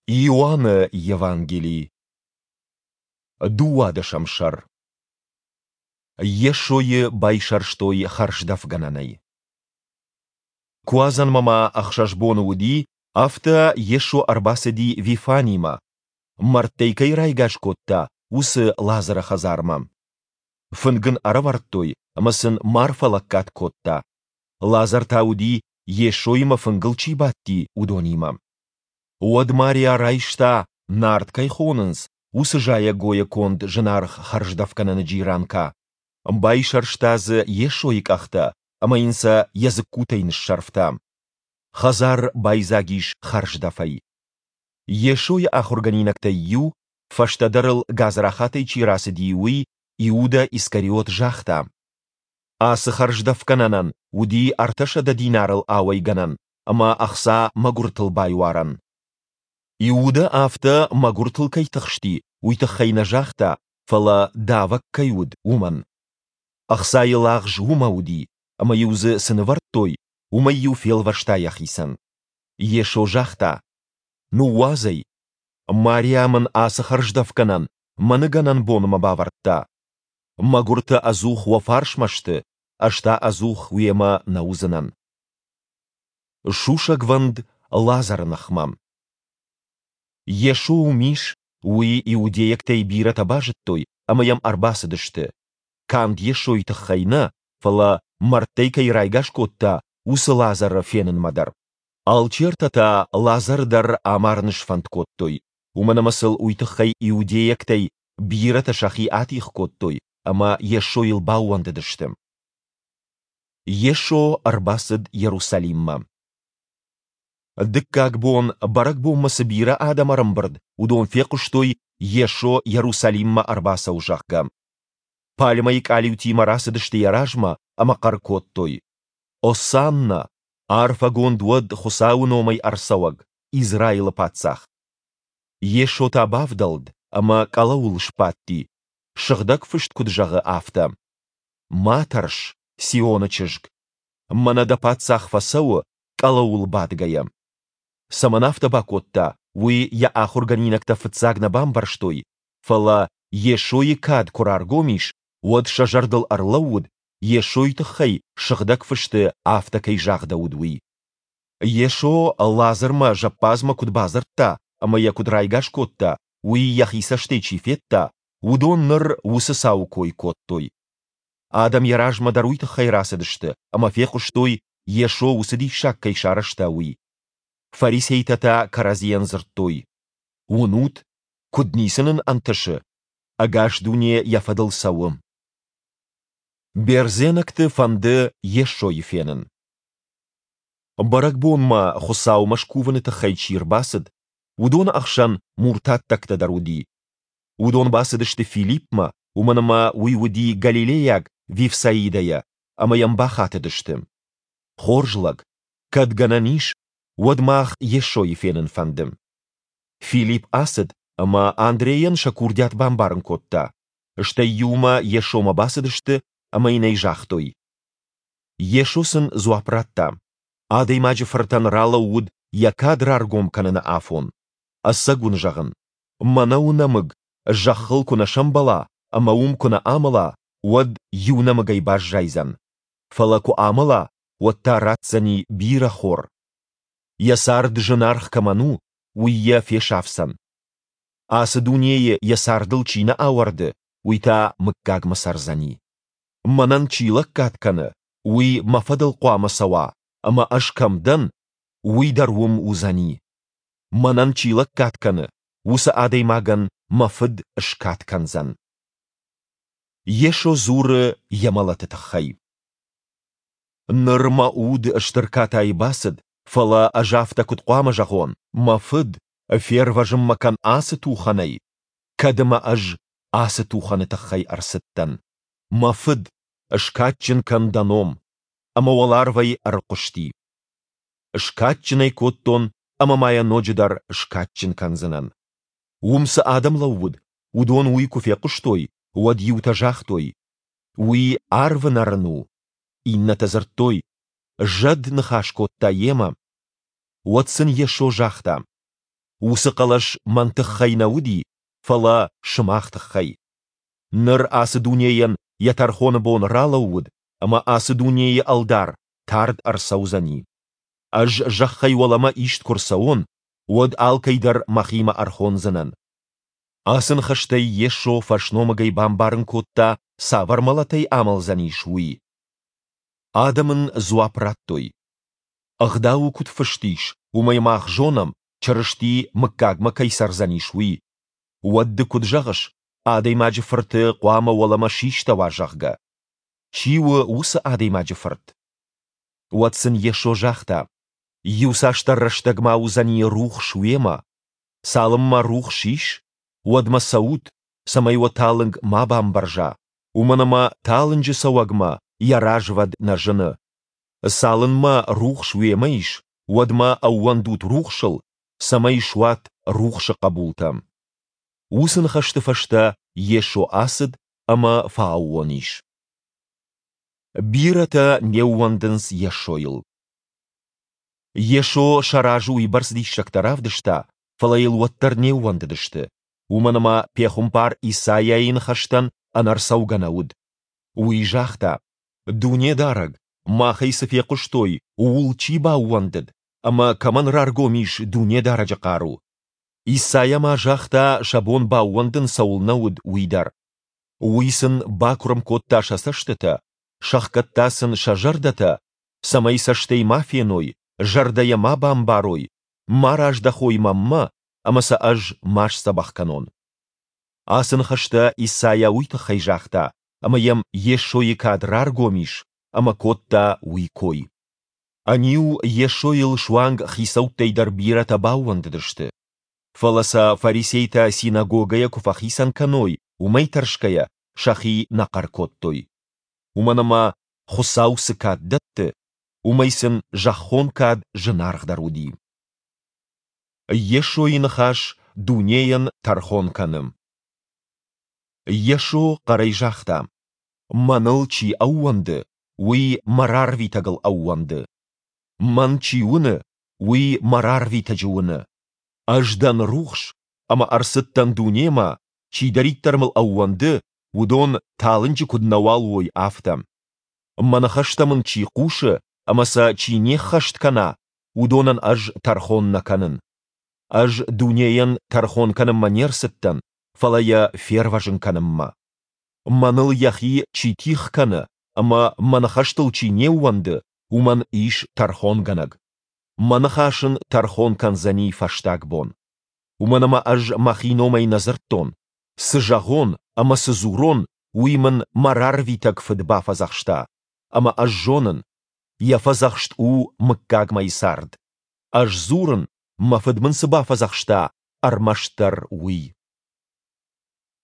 Иоанны Евангели, дыууадӕсӕм сӕр. Йесойы байсӕрстой хӕрздӕфгӕнӕнӕй. Куадзӕнмӕ ма ӕхсӕз боны уыди, афтӕ Йесо ӕрбацыди Вифанимӕ, мӕрдтӕй кӕй райгас кодта, уыцы Лазӕры хӕдзармӕ. Фынг ын ӕрӕвӕрдтой, ӕмӕ сын Марфӕ лӕггад кодта. Лазӕр та уыди, Йесоимӕ фынгыл чи бадти, уыдонимӕ. Уӕд Мариа райста, нард кӕй хонынц, уыцы зайӕгойӕ конд зынаргъ хӕрздӕфгӕнӕны джиранка, байсӕрста дзы Йесойы къӕхтӕ ӕмӕ йын сӕ йӕ дзыккутӕй ныссӕрфта. Хӕдзар байдзаг ис хӕрздӕфӕй. Йесойы ахуыргӕнинӕгтӕй иу, фӕстӕдӕр ыл гадзрахатӕй чи рацыди, уый, Иудӕ Искариот, загъта: Ацы хӕрздӕфгӕнӕнӕн уыди 300 динарыл ауӕйгӕнӕн ӕмӕ ӕхца мӕгуыртыл байуарӕн. Иудӕ афтӕ мӕгуыртыл кӕй тыхсти, уый тыххӕй нӕ загъта, фӕлӕ давӕг кӕй уыд, уымӕн. Ӕхцайы лагъз уымӕ уыди, ӕмӕ-иу дзы цы нывӕрдтой, уымӕй-иу фелвӕста йӕхицӕн. Йесо загъта: Ныууадз ӕй. Мариа мын ацы хӕрздӕфгӕнӕн мӕ ныгӕнӕн бонмӕ бавӕрдта. Мӕгуыртӕ ӕдзух уӕ фарсмӕ сты, ӕз та ӕдзух уемӕ нӕ уыдзынӕн. Сусӕгвӕнд Лазӕры ныхмӕ. Йесо уым ис, уый иудейӕгтӕй бирӕтӕ базыдтой ӕмӕ йӕм ӕрбацыдысты. Канд Йесойы тыххӕй нӕ, фӕлӕ, мӕрдтӕй кӕй райгас кодта, уыцы Лазӕры фенынмӕ дӕр. Алчертӕ та Лазӕры дӕр амарын сфӕнд кодтой, уымӕн ӕмӕ сыл уый тыххӕй иудейӕгтӕй бирӕтӕ сӕхи атигъ кодтой ӕмӕ Йесойыл баууӕндыдысты. Йесо ӕрбацыд Иерусалиммӕ. Дыккаг бон бӕрӕгбонмӕ цы бирӕ адӕм ӕрӕмбырд, уыдон фехъуыстой, Йесо Иерусалиммӕ ӕрбацӕуы, зӕгъгӕ. Пальмӕйы къалиутимӕ рацыдысты йӕ размӕ ӕмӕ хъӕр кодтой: Осанна! Арфӕгонд уӕд Хуыцауы номӕй ӕрцӕуӕг, Израилы паддзах! Йесо та бавдӕлд ӕмӕ къӕлӕуыл сбадти, Сыгъдӕг Фыст куыд зӕгъы, афтӕ: Ма тӕрс, Сионы чызг! Мӕнӕ дӕ паддзах фӕцӕуы, къӕлӕуыл бадгӕйӕ. Цӕмӕн афтӕ бакодта, уый йӕ ахуыргӕнинӕгтӕ фыццаг нӕ бамбӕрстой, фӕлӕ Йесойы кад куы раргом ис, уӕд сӕ зӕрдыл ӕрлӕууыд, Йесойы тыххӕй Сыгъдӕг Фысты афтӕ кӕй загъдӕуыд, уый. Йесо Лазӕрмӕ зӕппадзмӕ куыд бадзырдта ӕмӕ йӕ куыд райгас кодта, уый йӕхи цӕстӕй чи федта, уыдон ныр уыцы цауы кой кодтой. Адӕм йӕ размӕ дӕр уый тыххӕй рацыдысты ӕмӕ фехъуыстой, Йесо уыцы диссаг кӕй сарӕзта, уый. Фарисейтӕ та кӕрӕдзийӕн дзырдтой: Уынут, куыд ницы нын ӕнтысы? Ӕгас дуне йӕ фӕдыл цӕуы. Бердзенӕгты фӕнды Йесойы фенын. Бӕрӕгбонмӕ Хуыцаумӕ скувыны тыххӕй чи рбацыд, уыдоны ӕхсӕн муртаттӕгтӕ дӕр уыди. Уыдон бацыдысты Филиппмӕ, уымӕн ӕмӕ уый уыди галилейаг Вифсаидӕйӕ, ӕмӕ йӕм бахатыдысты: Хорз лӕг, кӕд гӕнӕн ис, уӕд мах Йесойы фенын фӕнды. Филипп ацыд ӕмӕ Андрейӕн сӕ курдиат бамбарын кодта. Стӕй иумӕ Йесомӕ бацыдысты ӕмӕ йын ӕй загътой. Йесо сын дзуапп радта: Адӕймаджы Фыртӕн ралӕууыд йӕ кад раргом кӕныны афон. Ӕцӕг уын зӕгъын, мӕнӕуы нӕмыг зӕххыл куы нӕ сӕмбӕла ӕмӕ уым куы нӕ амӕла, уӕд иу нӕмыгӕй баззайдзӕн. Фӕлӕ куы амӕла, уӕд та ратдзӕни бирӕ хор. Йӕ цард зынаргъ кӕмӕн у, уый йӕ фесафдзӕн. Ацы дунейы йӕ цардыл чи нӕ ауӕрды, уый та мыггагмӕ цӕрдзӕни. Мӕнӕн чи лӕггад кӕны, уый мӕ фӕдыл хъуамӕ цӕуа, ӕмӕ ӕз кӕм дӕн, уый дӕр уым уыдзӕни. Мӕнӕн чи лӕггад кӕны, уыцы адӕймагӕн мӕ Фыд скад кӕндзӕн. Йесо дзуры йӕ мӕлӕты тыххӕй. Ныр мӕ уд стыр катайы бацыд, фӕлӕ ӕз афтӕ куыд хъуамӕ зӕгъон, мӕ Фыд, фервӕзын мӕ кӕн ацы тухӕнӕй, кӕд ӕмӕ ӕз ацы тухӕны тыххӕй ӕрцыдтӕн. Мӕ Фыд, скадджын кӕн дӕ ном. Ӕмӕ уӕларвӕй ӕрхъуысти. Скадджын ӕй кодтон ӕмӕ ма йӕ ноджыдӕр скадджын кӕндзынӕн. Уым цы адӕм лӕууыд, уыдон уый куы фехъуыстой, уӕд иутӕ загътой: Уый арвы нӕрын у. Иннӕтӕ дзырдтой: Зӕд ныхас кодта йемӕ. Уӕд сын Йесо загъта: Уыцы хъӕлӕс мӕн тыххӕй нӕ уыди, фӕлӕ сымах тыххӕй. Ныр ацы дунейӕн йӕ тӕрхоны бон ралӕууыд, ӕмӕ ацы дунейы ӕлдар тард ӕрцӕудзӕни. Ӕз зӕххӕй уӕлӕмӕ ист куы рцӕуон, уӕд алкӕй дӕр мӕхимӕ ӕрхондзынӕн. Ацы ныхӕстӕй Йесо фӕсномыгӕй бамбарын кодта, цавӕр мӕлӕтӕй амӕлдзӕнис, уый. Адӕм ын дзуапп радтой, Ӕгъдауы куыд фыст ис, уымӕй мах зонӕм, Чырысти мыггагмӕ кӕй цӕрдзӕнис, уый. Уӕд ды куыд зӕгъыс, Адӕймаджы Фырты хъуамӕ уӕлӕмӕ систӕуа, зӕгъгӕ? Чи у уыцы Адӕймаджы Фырт? Уӕд сын Йесо загъта, Иуцасдӕр рӕстӕг ма уыдзӕни рухс уемӕ. Цалынмӕ рухс ис, уӕдмӕ цӕут, цӕмӕй уӕ талынг ма бамбӕрза, уымӕн ӕмӕ талынджы цӕуӕгмӕ йӕ развӕд нӕ зыны. Цалынмӕ рухс уемӕ ис, уӕдмӕ ӕууӕндут рухсыл, цӕмӕй суат рухсы хъӕбултӕ. Уыцы ныхӕсты фӕстӕ Йесо ацыд ӕмӕ фӕаууон ис. Бирӕтӕ не ууӕндынц Йесойыл. Йесо сӕ разы уыйбӕрц диссӕгтӕ равдыста, фӕлӕ йыл уӕддӕр не ууӕндыдысты, уымӕн ӕмӕ пехуымпар Исайайы ныхӕстӕн ӕнӕрцӕугӕ нӕ уыд. Уый загъта: Дунедарӕг, махӕй цы фехъуыстой, ууыл чи баууӕндыд, ӕмӕ кӕмӕн раргом ис Дунедарӕджы хъару? Исайа ма загъта, сӕ бон баууӕндын цӕуылнӕ уыд, уый дӕр. Уый сын бакуырм кодта сӕ цӕстытӕ, сӕхгӕдта сын сӕ зӕрдӕтӕ, цӕмӕй цӕстӕй ма феной, зӕрдӕйӕ ма бамбарой, ма раздӕхой мӕнмӕ, ӕмӕ сӕ ӕз ма сдзӕбӕх кӕнон. Ацы ныхӕстӕ Исайа уый тыххӕй загъта, ӕмӕ йӕм Йесойы кад раргом ис, ӕмӕ кодта уый кой. Ӕниу Йесойыл суанг хицӕуттӕй дӕр бирӕтӕ баууӕндыдысты. Фӕлӕ сӕ фарисейтӕ синагогӕйӕ куы фӕхицӕн кӕной, уымӕй тӕрсгӕйӕ сӕхи нӕ хъӕр кодтой. Уымӕн ӕмӕ, Хуыцау цы кад дӕтты, уымӕй сын зӕххон кад зынаргъдӕр уыди. Йесойы ныхас дунейӕн тӕрхон кӕны. Йесо хъӕрӕй загъта, Мӕныл чи ӕууӕнды, уый мӕ рарвитӕгыл ӕууӕнды. Мӕн чи уыны, уый мӕ рарвитӕджы уыны. Ӕз дӕн рухс, ӕмӕ ӕрцыдтӕн дунемӕ, чидӕриддӕр мыл ӕууӕнды, уыдон талынджы куыд нӕуал уой, афтӕ. Мӕ ныхӕстӕ мын чи хъусы ӕмӕ сӕ чи не ххӕст кӕна, уыдонӕн ӕз тӕрхон нӕ кӕнын. Ӕз дунейӕн тӕрхон кӕнынмӕ не рцыдтӕн, фӕлӕ йӕ фервӕзын кӕнынмӕ. Мӕныл йӕхи чи тигъ кӕны ӕмӕ мӕ ныхӕстыл чи не ууӕнды, уымӕн ис тӕрхонгӕнӕг. Мӕ ныхас ын тӕрхон кӕндзӕни фӕстаг бон. Уымӕн ӕмӕ ӕз мӕхи номӕй нӕ дзырдтон, цы зӕгъон ӕмӕ цы дзурон, уый мын мӕ рарвитӕг Фыд бафӕдзӕхста, ӕмӕ ӕз зонын, йӕ фӕдзӕхст у мыггагмӕйы цард. Ӕз дзурын, мӕ Фыд мын цы бафӕдзӕхста, ӕрмӕстдӕр уый.